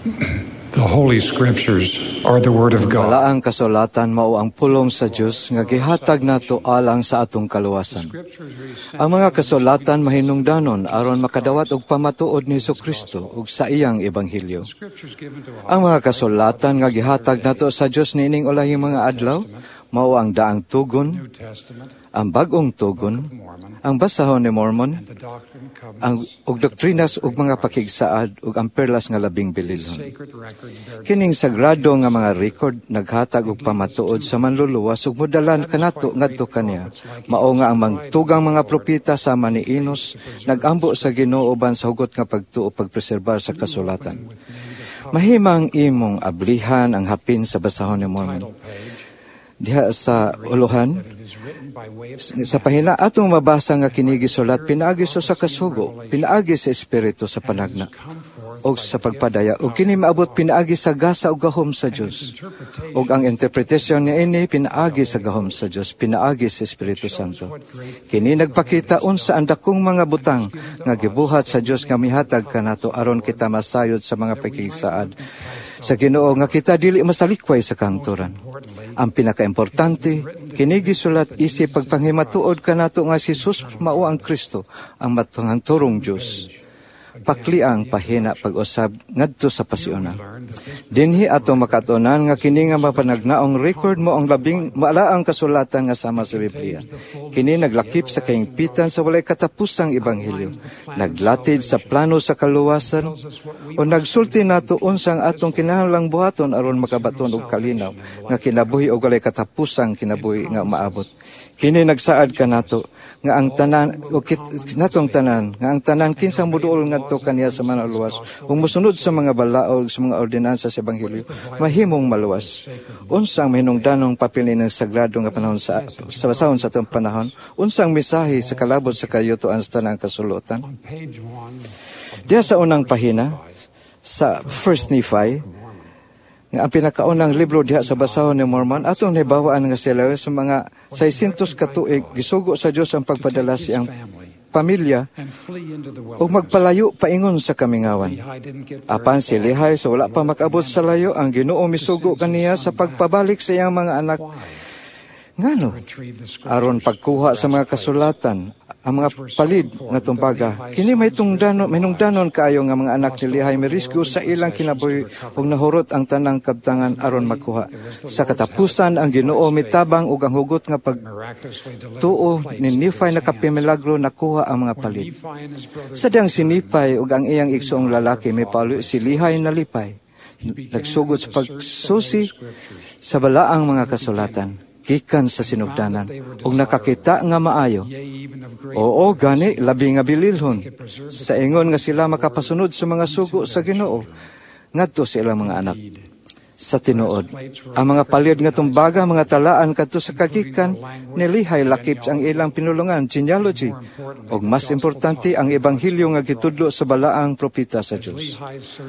The Holy Scriptures are the Word of God. Balaang kasulatan mao ang pulong sa Dios nga gihatag nato alang sa atong kaluwasan. Ang mga kasulatan mahinungdanon aron makadawat og pamatuod ni Kristo ug sa iyang ebanghelyo. Ang mga kasulatan nga gihatag nato sa Dios niining ulahing mga adlaw mao ang Daang Tugon, ang Bag-ong Tugon, ang Basahon ni Mormon, ang ug doktrinas ug mga pakigsaad ug ang Perlas nga Labing Bililhon. Kining sagrado nga mga record naghatag og pamatuod sa Manluluwas ug modalan kanato ngadto kaniya. Mao nga ang mangtugang mga propeta sama ni Enos nagambo sa Ginoo uban sa hugot nga pagtuo pagpreserbar sa kasulatan. Mahimang imong ablihan ang hapin sa Basahon ni Mormon. Diha sa uluhan, sa pahina, atong mabasa nga kini gisulat pinaagi sa kasugo, pinaagi sa Espiritu sa panagna og sa pagpadaya, ug kini maabot pinaagi sa gasa ug gahom sa Dios. Ug ang interpretation niini pinaagi sa gahom sa Dios, pinaagi sa Espiritu Santo. Kini nagpakita unsa ang dakong mga butang nga gibuhat sa Dios nga mihatag kanato aron kita masayod sa mga pakigsaad sa Ginoo nga kita dili masalikway sa kahangturan. Ang pinakaimportante, kini gisulat isip pagpanghimatuod kanato nga si Jesus mao ang Kristo, ang matanghanturong Dios. Pakli ang pahina pag-usab ngadto sa pasiuna. Dinhi ato makatunan nga kini nga mapanagnaong record mao ang labing maalaang kasulatan nga sama sa Biblia. Kini naglakip sa kahingpitan sa walay katapusang ebanghelyo, naglatid sa plano sa kaluwasan, o nagsulti nato unsang atong kinahanglang buhaton aron makabaton og kalinaw nga kinabuhi og walay katapusang kinabuhi nga maabot. Kini nagsaad kanato nga ang tanan o kit, natong tanan nga ang tanan kinsang muduol ngadto kaniya sa Manluluwas ug mosunod sa mga balaod, sa mga ordinansa sa ebanghelyo, mahimong maluwas. Unsang mahinungdanong papel ng sagrado nga panahon sa basahon sa atong panahon? Unsang mensahe sa kalabot sa kayutoan sa tanang kasulutan? Diha sa unang pahina sa First Nephi, nga ang pinakaunang libro diha sa Basahon ni Mormon, atong nahibawaan nga sila sa mga 600 ka tuig gisugo sa Dios ang pagpadala siyang pamilya ug magpalayo paingon sa kamingawan. Apan si Lehi sa wala pa makaabot sa layo, ang Ginoo misugo kaniya sa pagpabalik sa iyang mga anak. Ngano? Aron pagkuha sa mga kasulatan, ang mga palid nga tumbaga. Kini may tungdanon, hinungdanon kaayo nga mga anak ni Lehi mirisgo sa ilang kinabuhi ug nahurot ang tanang kabtangan aron makuha. Sa katapusan, ang Ginoo mitabang ug ang hugot nga pagtuo ni Nephi nakapimilagro, nakuha ang mga palid. Sa diyang si Nephi ug ang iyang igsoong lalaki mipaulo, si Lehi nalipay. Nagsugod sa pagsusi sa balaang mga kasulatan gikan sa sinugdanan ug nakakita nga maayo. Oo, gani, labi nga bililhon. Sa ingon nga sila makapasunod sa mga sugo sa Ginoo ngadto sa ilang mga anak. Sa tinuod, ang mga palid nga tumbaga, mga talaan kadto sa kagikan ni Lehi lakip ang ilang pinulungan, genealogy, ug mas importante, ang ebanghelyo nga gitudlo sa balaang propeta sa Dios.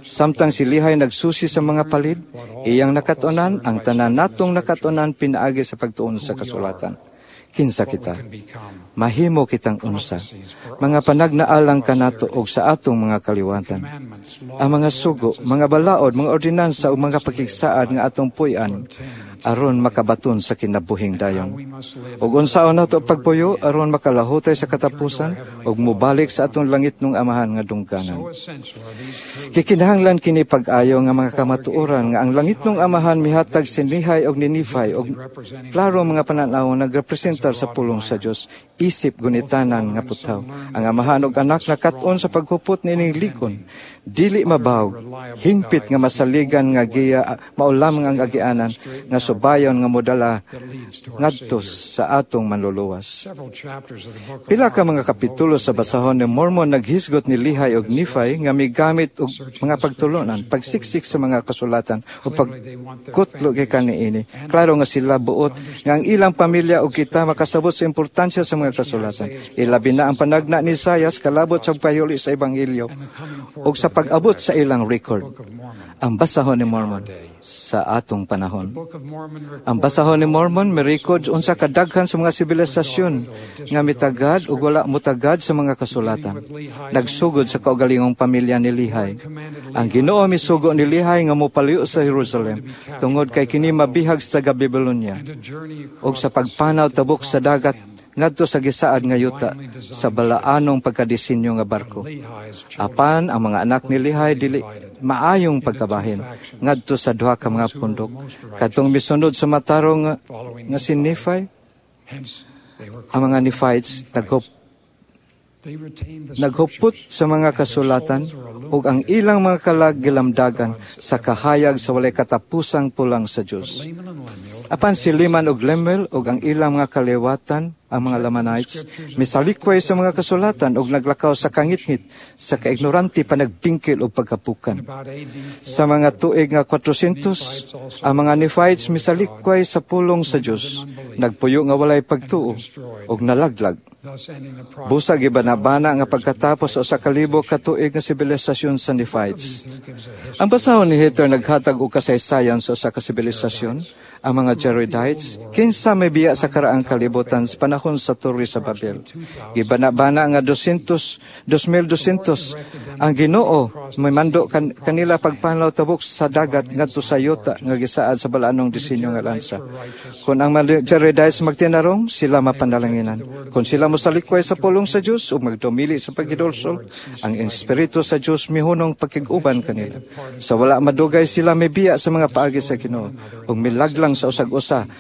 Samtang si Lehi nagsusi sa mga palid, iyang nakatunan ang tanan natong nakatunan pinaagi sa pagtuon sa kasulatan. Kinsa kita? Mahimo kitang unsa? Mga panagnaalang kanato og sa atong mga kaliwatan. Ang mga sugo, mga balaod, mga ordinansa ug mga pakigsaad nga atong puy-an aron makabaton sa kinabuhing dayon. Ug unsaon nato pagpuyo aron makalahutay sa katapusan ug mobalik sa atong langitnong Amahan nga dungganan. Gikinahanglan kini pag-ayo nga mga kamatuoran nga ang langitnong Amahan mihatag si Lehi og ni Nephi og klaro mga pananaw nagrepresentar sa pulong sa Dios isip gunitanan nga putaw. Ang Amahan ug Anak nakat-on sa paghupot niining likon, dili mabawog, hingpit nga masaligan nga giya, mao lamang ang agianan nga subayon nga modala ngadto sa atong Manluluwas. Pila ka mga kapitulo sa Basahon ni Mormon naghisgot ni Lehi og Nephi nga migamit og mga pagtulunan, pagsiksik sa mga kasulatan o pagkutlo gikan niini. Klaro nga sila buot nga ang ilang pamilya ug kita makasabot sa importansya sa mga kasulatan. Ilabi na ang panagna ni Isayas kalabot sa pagpahuli sa ebanghelyo ug sa pag-abot sa ilang record. Ang basahon ni Mormon sa atong panahon. Ang basahon ni Mormon mirekod unsa kadaghan sa mga sibilisasyon nga mitagad ug wala motagad sa mga kasulatan. Nagsugod sa kaugalingong pamilya ni Lehi. Ang Ginoo misugo ni Lehi nga mopaliw sa Jerusalem tungod kay kini mabihag sa taga Babylonia ug sa pagpanaw tabok sa dagat ngadto sa gisaad nga yuta sa balaanong pagkadisenyo nga barko. Apan ang mga anak ni Lehi dili maayong pagkabahin ngadto sa duha ka mga pundok. Kadtong misunod sa matarong nga si Nephi, ang mga Nephites naghupot sa mga kasulatan ug ang ilang mga kalag gilamdagan sa kahayag sa walay katapusang pulang sa Dios. Apan si Laman ug Lemuel ug ang ilang mga kaliwatan, ang mga Lamanites, misalikway sa mga kasulatan ug naglakaw sa kangitngit sa kaignorante, panagbingkil ug pagkapukan. Sa mga tuig nga 400, ang mga Nephites misalikway sa pulong sa Dios, nagpuyo nga walay pagtuo ug nalaglag. Busa gibanabana nga pagkatapos sa 1000 ka tuig nga sibilisasyon sa Nephites. Ang basahon ni Ether naghatag og kasaysayan sa usa ka sibilisasyon, ang mga Jaredites, kinsa may biya sa karaang kalibutan sa panahon sa Torre sa Babel. Gibanabana nga 200, 2200 ang Ginoo may mando kanila pagpanaw tabok sa dagat ngadto sa yuta nga gisaad sa balaanong disenyo nga lansa. Kung ang mga Jaredites magtinarong, sila mapanalanginan. Kung sila mosalikway sa pulong sa Dios ug magdumili sa pagidulsol, ang espiritu sa Dios mihunong pakig-uban kanila. Sa wala madugay sila mibiya sa mga paagi sa Ginoo ug milaglang sa usag-usa.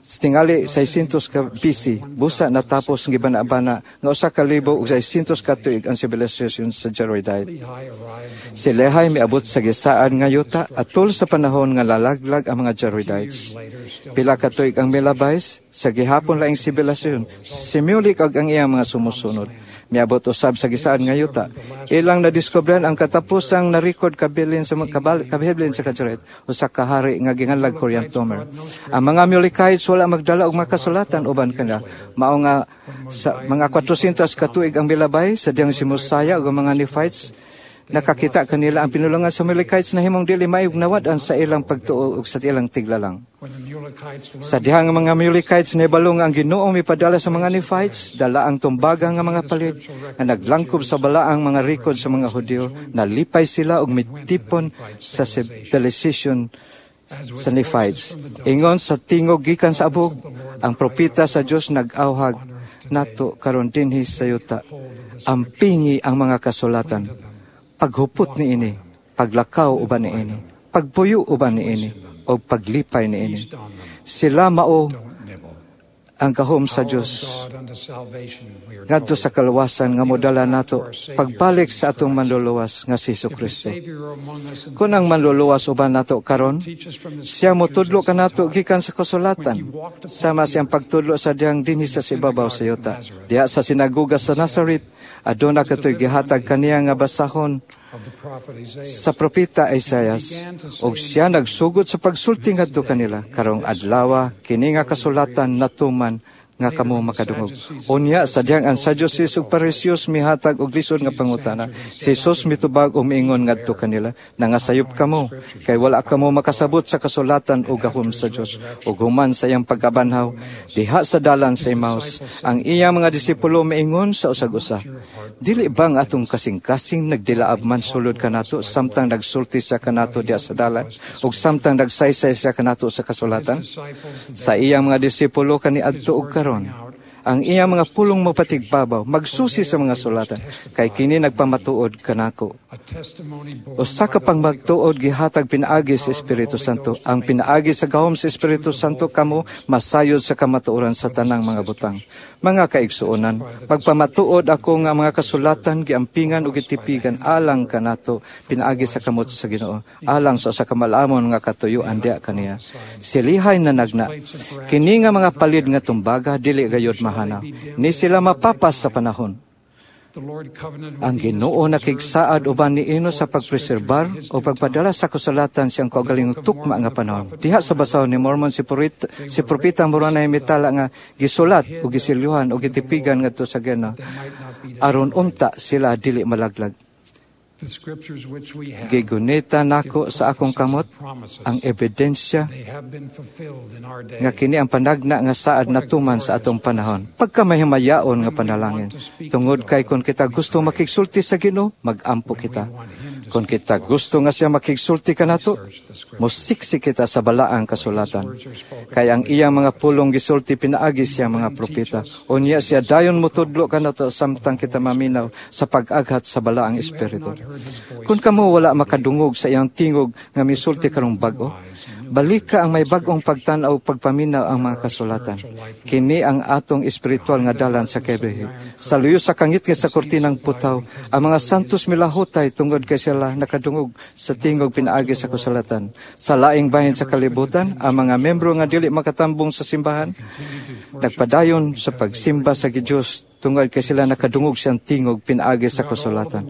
Tingali 600 ka BC, busa natapos ang gibana-bana nga 1600 ka tuig ang sibilisasyon sa Jaredite. Si Lehi miabot sa gisaad nga yuta atol sa panahon nga lalaglag ang mga Jaredites. Pila ka tuig ang milabay sa gihapon laing sibilisasyon, si Mulek ug ang iyang mga sumusunod miabot usab sa gisaad nga yuta. Ilang nadiskobrehan ang katapusang na-record kabilin sa kabilin sa Kajaret usa ka hari nga ginganlag Coriantumr. Ang mga Mulekites wala magdala og makasulatan uban kanila. Mao nga sa mga 400 ka tuig ang milabay sa diyang si Mosiah ug ang mga Nephites nakakita kanila ang pinulungan sa Mulekites na himong dili maayong nawad-an sa ilang pagtuo ug sa ilang tiglalang. Sa dihang mga Mulekites nahibalo nga ang Ginoo mipadala sa mga Nephites, dala ang tumbaga nga mga palid nga naglangkob sa balaang mga record sa mga Hudiyo, nalipay sila og mitipon sa civilization sa Nephites. Ingon sa tingog gikan sa abog, ang propeta sa Dios nag-awhag nato karon dinhi sa yuta. Ampingi ang mga kasulatan. Paghupot niini, paglakaw uban niini, pagpuyo uban niini, o paglipay niini. Sila mao ang gahom sa Dios ngadto sa kaluwasan nga modala nato pagbalik sa atong Manluluwas nga si Kristo. Kung ang Manluluwas uban nato karon, siya motudlo kanato gikan sa kasulatan, sama siyang pagtudlo sa diyang dinhi sa ibabaw sa yuta. Diha sa sinagoga sa Nazaret, aduna katoy gihatag kaniya nga basahon sa propeta Isaias, ug siya nagsugod sa pagsulti ngadto kanila, "Karong adlawa kini nga kasulatan natuman nga kamo makadungog." Unya sa diyang ang Sadducees ug Phariseos mihatag og lisod nga pangutana, si Jesus mitubag ug miingon ngadto kanila, "Nangasayop kamo kay wala kamo makasabot sa kasulatan o gahom sa Dios." Ug human sa iyang pagkabanhaw diha sa dalan sa Emmaus, ang iyang mga disipulo miingon sa usag-usa, "Dili ba ang atong kasing-kasing nagdilaab man sulod kanato samtang nagsulti siya kanato diha sa dalan ug samtang nagsaysay siya kanato sa kasulatan?" Sa iyang mga disipulo kaniadto og karon, ang iyang mga pulong mapatigbabaw, magsusi sa mga sulatan, kay kini nagpamatuod kanako. Usa ka pangmagtuod gihatag pinaagi sa Espiritu Santo. Ang pinaagi sa gahom sa Espiritu Santo kamo masayod sa kamatuoran sa tanang mga butang. Mga kaigsuonan, pagpamatuod ako nga mga kasulatan giampingan ug gitipigan alang kanato pinaagi sa kamot sa Ginoo, alang sa usa ka malamon nga katuyuan diha kaniya. Si Lehi nanagna, kini nga mga palid nga tumbaga dili gayod mahanaw, ni sila mapapas sa panahon. Ang Ginoo nakigsaad uban ni Enos sa pagpreserbar o pagpadala sa kasulatan siyang kaugalingong tukma nga panahon. Diha sa basahon ni Mormon si propeta Moroni mitala nga gisulat o gisilyuhan o gitipigan ngadto sa Ginoo aron unta sila dili malaglag. Gigunita nako sa akong kamot ang ebidensya nga kini ang panagna nga saad natuman sa atong panahon. Pagkamahimayaon nga panalangin. Tungod kay kung kita gusto makigsulti sa Ginoo, magampo kita. Kung kita gusto nga siya makigsulti kanato, mosiksik kita sa balaang kasulatan. Kay ang iyang mga pulong gisulti pinaagi siya mga propeta. Unya siya dayon motudlo kanato samtang kita maminaw sa pag-aghat sa balaang espiritu. Kung kamo wala makadungog sa iyang tingog nga misulti karong bag-o, balika ang may bag-ong pagtan-aw, pagpaminaw ang mga kasulatan. Kini ang atong espiritual nga dalan sa kinabuhi. Sa luyo sa kangitngit sa kurtinang putaw, ang mga santos milahutay tungod kay sila nakadungog sa tingog pinaagi sa kasulatan. Sa laing bahin sa kalibutan, ang mga membro nga dili makatambong sa simbahan, nagpadayon sa pagsimba sa Diyos tungod kay sila nakadungog siyang tingog pinaagi sa kasulatan.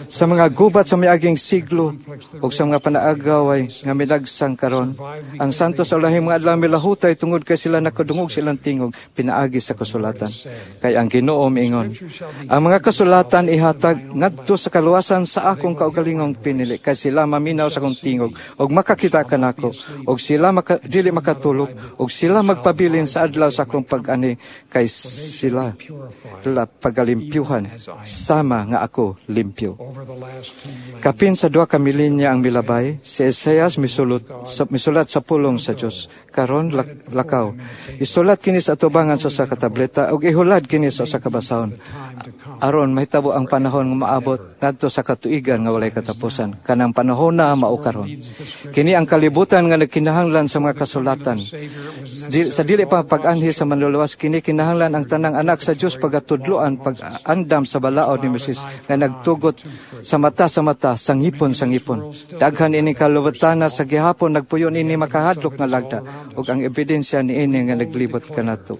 Sa mga gubat sa miaging siglo o sa mga panaagaway nga milagsang karon, ang santos sa ulahing mga adlaw milahutay tungod kay sila nakadungog silang tingog pinaagi sa kasulatan. Kay ang Ginoo miingon, "Ang mga kasulatan ihatag ngadto sa kaluwasan sa akong kaugalingong pinili, kay sila maminaw sa akong tingog ug makakita kanako, ug sila dili makatulog, ug sila magpabilin sa adlaw sa akong pag-ani, kay sila la pagalimpyuhan sama nga ako limpyo." Kapin sa 2 ka milenya ang milabay, si Isaias misulat sa pulong sa Dios. Karon lakaw. Isulat kini sa atubangan sa usa ka tableta ug ihulad kini sa usa ka basahon, aron mahitabo ang panahon nga maabot ngadto sa katuigan nga walay katapusan. Kanang panahon na mao karon. Kini ang kalibutan nga nagkinahanglan sa mga kasulatan. Sa dili pa pag-anhi sa Manluluwas, kini kinahanglan ang tanang anak sa Dios pagatudloan, pag-andam sa balaod ni Moises nga nagtugot sa mata, sa ngipon sa ngipon. Daghan ini kalubotana sa gihapon nagpuyo ini makahadlok nga lagda ug ang ebidensya niini nga naglibot kanato.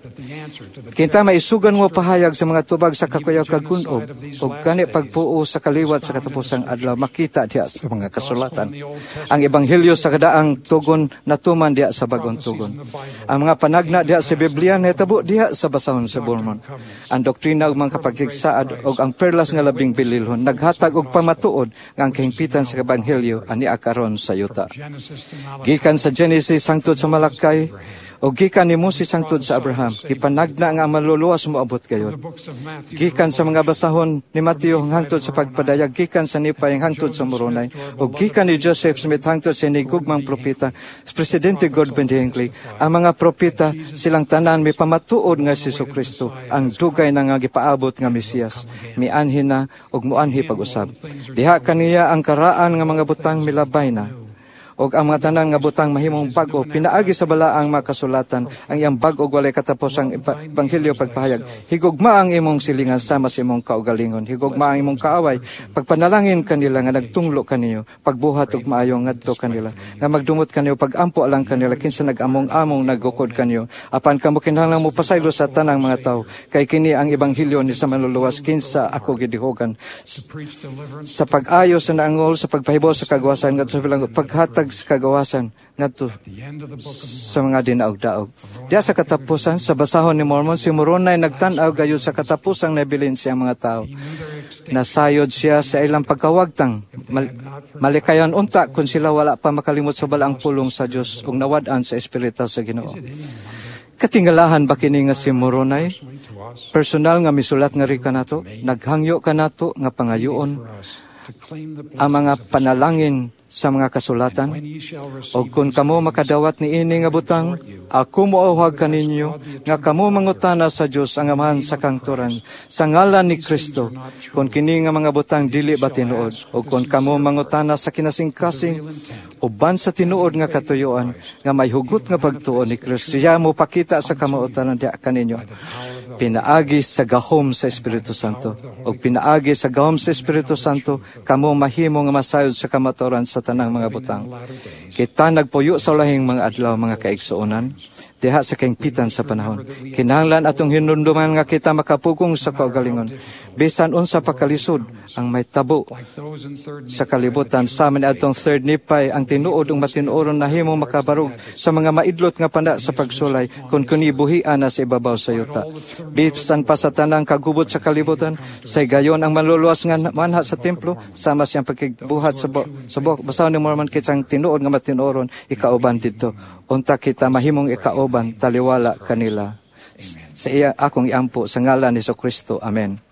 Kinta maisugan mo pahayag sa mga tubag sa kakuyaw kagunob ug kani pagpuo sa kaliwat sa katapusang adlaw makita diha sa mga kasulatan. Ang ebanghelyo sa kadaang tugon natuman diha sa bagong tugon. Ang mga panagna diha sa Biblia nahitabo diha sa basahon sa Mormon. Ang doktrina ug mga kapaghigsaad ug ang perlas nga labing bililhon naghatag og pamatuod nga ang kahimpitan sa ebanghelyo ania karon sa yuta. Gikan sa Genesis hangtod sa Malakay o gikan ni Moses hangtod sa Abraham, gipanagna nga ang Manluluwas moabot gayod. Gikan sa mga basahon ni Mateo hangtod sa pagpadayag, gikan sa Nephi hangtod sa Moroni, o gikan ni Joseph Smith hangtod sa hinigugmang propeta, Presidente Gordon B. Hinckley, ang mga propeta silang tanan may pamatuod nga si Kristo ang dugay na nga gipaabot nga Mesiyas, mianhi na ug muanhi pag-usab. Diha kaniya ang karaan nga mga butang milabay na og ang mga tanan nga butang mahimong bag-o pinaagi sa balaang mga kasulatan, ang iyang bag-o walay katapusang ebanghelyo pagpahayag. Higugma ang imong silingan sama sa imong kaugalingon. Higugma ang imong kaaway. Pagpanalangin kanila nga nagtunglo kaniyo. Pagbuhat og maayo ngadto kanila nga magdumot kaniyo. Pagampo alang kanila kinsa nag-among-among naggukod kaniyo. Apan kamo kinahanglan mo pasaylo sa tanang mga tawo, kay kini ang ebanghelyo ni sa Manluluwas, kinsa ako gidihogan sa pag-ayo sa naangol, sa pagpahibaw sa kagawasan ngadto sa bilanggo, paghatag sa kagawasan ngadto sa mga dinaog-daog. Diya sa katapusan, sa basahon ni Mormon, si Moroni nagtan-aw gayud sa katapusang nabilin siya mga tao. Nasayod siya sa ilang pagkawagtang. Malikayan unta kung sila wala pa makalimot sa balaang pulong sa Dios ug nawad-an sa espiritu sa Ginoo. Katingalahan ba kini nga si Moroni personal nga misulat nga ri kanato, naghangyo kanato nga pangayoon ang mga panalangin sa mga kasulatan? "O kung kamo makadawat ni ini nga butang, ako moauhag kaninyo nga kamo mangutana sa Dios ang Amahan sa kangturan sa ngalan ni Kristo, kung kini nga mga butang dili ba tinuod, o kung kamo mangutana sa kinasingkasing uban sa tinuod nga katuyoan nga may hugot nga pagtuo ni Kristo, siya mo pakita sa kamauotan diha kaninyo pinaagi sa gahom sa Espiritu Santo. O pinaagi sa gahom sa Espiritu Santo, kamo mahimo nga masayod sa kamatuoran sa tanang mga butang." Kita nagpuyo sa ulahing mga adlaw, mga kaigsuonan. diha sa kahingpitan sa panahon. Kinahanglan atong hinumduman nga kita makapugong sa kaugalingon. Bisan unsa pa kalisod ang mahitabo Like those in third sa kalibutan, sama ni atong Third Nephi, ang tinuod ug matinuoron nahimong makabarog sa mga maidlot nga pana sa pagsulay kung kinibuhian na sa ibabaw sa yuta. Bisan pa sa tanang kagubot sa kalibutan, sa higayon ang Manluluwas nga manha sa templo, sama siyang pagbuhat sa Basahon ni Mormon, kitang tinuod nga matinuoron ikauban didto. Unta kita mahimong ikauban taliwala kanila. Sa iya akong iampo sa ngalan ni Kristo. Amen.